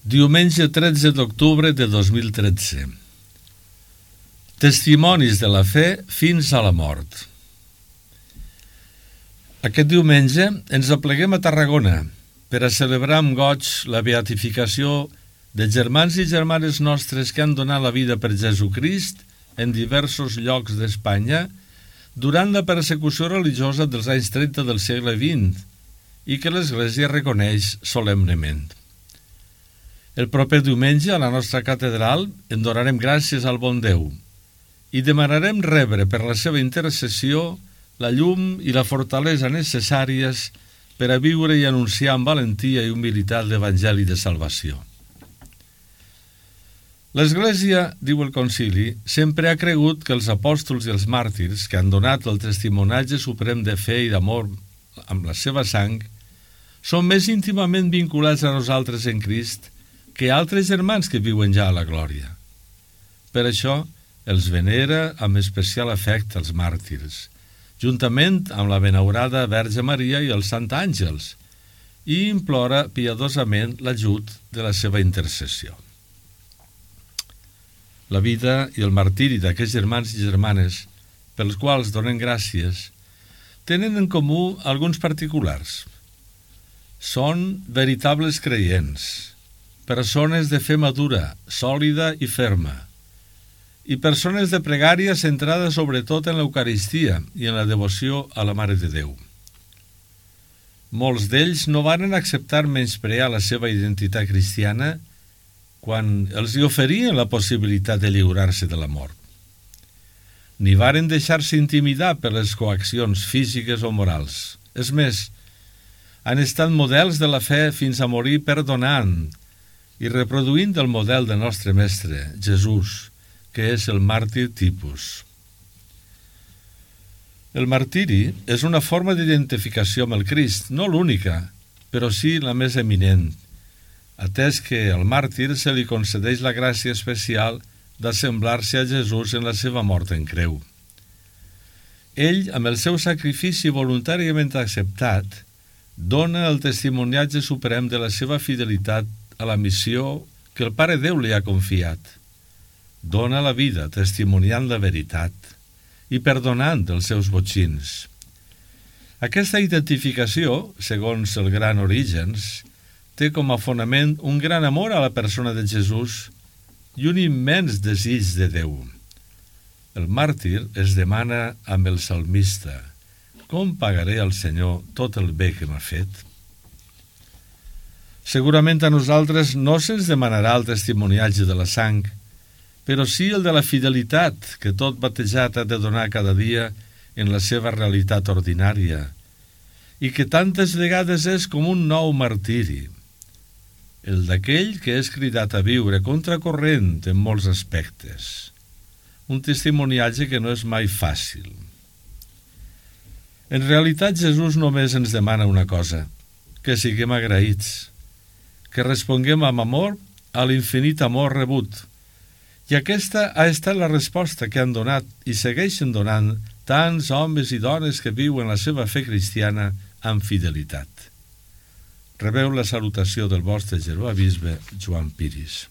Diumenge 13 d'octubre de 2013. Testimonis de la fe fins a la mort. Aquest diumenge ens apleguem a Tarragona per a celebrar amb goig la beatificació de germans i germanes nostres que han donat la vida per Jesucrist en diversos llocs d'Espanya durant la persecució religiosa dels anys 30 del segle XX i que l'Església reconeix solemnement. El proper diumenge a la nostra catedral en donarem gràcies al bon Déu i demanarem rebre per la seva intercessió la llum i la fortalesa necessàries per a viure i anunciar amb valentia i humilitat l'Evangeli de salvació. L'Església, diu el Concili, sempre ha cregut que els apòstols i els màrtirs que han donat el testimonatge suprem de fe i d'amor amb la seva sang són més íntimament vinculats a nosaltres en Crist que altres germans que viuen ja a la glòria. Per això els venera amb especial afecte els màrtirs, juntament amb la benaurada Verge Maria i els Sant Àngels, i implora piadosament l'ajut de la seva intercessió. La vida i el martiri d'aquests germans i germanes, pels quals donen gràcies, tenen en comú alguns particulars. Són veritables creients, persones de fe madura, sòlida i ferma, i persones de pregària centrada sobretot en l'Eucaristia i en la devoció a la Mare de Déu. Molts d'ells no varen acceptar menysprear la seva identitat cristiana quan els hi oferien la possibilitat de lliurar-se de la mort. Ni varen deixar-se intimidar per les coaccions físiques o morals. És més, han estat models de la fe fins a morir perdonant i reproduint el model del nostre mestre, Jesús, que és el màrtir tipus. El martiri és una forma d'identificació amb el Crist, no l'única, però sí la més eminent, atès que al màrtir se li concedeix la gràcia especial d'assemblar-se a Jesús en la seva mort en creu. Ell, amb el seu sacrifici voluntàriament acceptat, dona el testimoniatge suprem de la seva fidelitat a la missió que el Pare Déu li ha confiat. Dona la vida testimoniant la veritat i perdonant els seus botxins. Aquesta identificació, segons el gran Orígens, té com a fonament un gran amor a la persona de Jesús i un immens desig de Déu. El màrtir es demana amb el salmista: com pagaré al Senyor tot el bé que m'ha fet? Segurament a nosaltres no se'ns demanarà el testimoniatge de la sang, però sí el de la fidelitat que tot batejat ha de donar cada dia en la seva realitat ordinària i que tantes vegades és com un nou martiri, el d'aquell que és cridat a viure contracorrent en molts aspectes, un testimoniatge que no és mai fàcil. En realitat, Jesús només ens demana una cosa: que siguem agraïts, que responguem amb amor a l'infinit amor rebut. I aquesta ha estat la resposta que han donat i segueixen donant tants homes i dones que viuen la seva fe cristiana amb fidelitat. Rebeu la salutació del vostre germà bisbe Joan Piris.